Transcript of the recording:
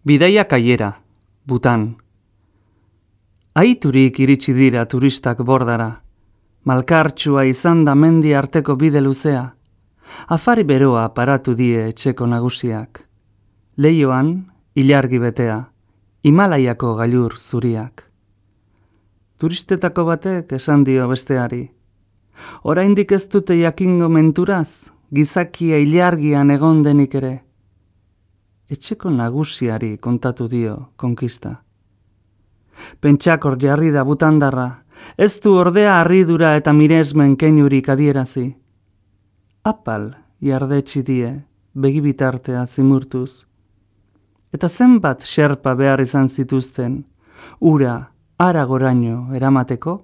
Bidaia kaiera, Butan. Aiturik iritsi dira turistak bordara. Malkartsua izan da mendi arteko bide luzea. Afari beroa paratu die etxeko nagusiak. Leioan, ilargi betea, Himalaiako gailur zuriak. Turistetako batek esan dio besteari. Oraindik ez dute jakingo menturaz, gizakia ilargian egon denik ere. Etxeko nagusiari kontatu dio konkista. Pentsakor jarri da butandarra, ez du ordea harridura eta miresmen keinurik adierazi. Apal jardetsi die, begibitartea zimurtuz. Eta zenbat xerpa behar izan zituzten, ura haragoraino eramateko?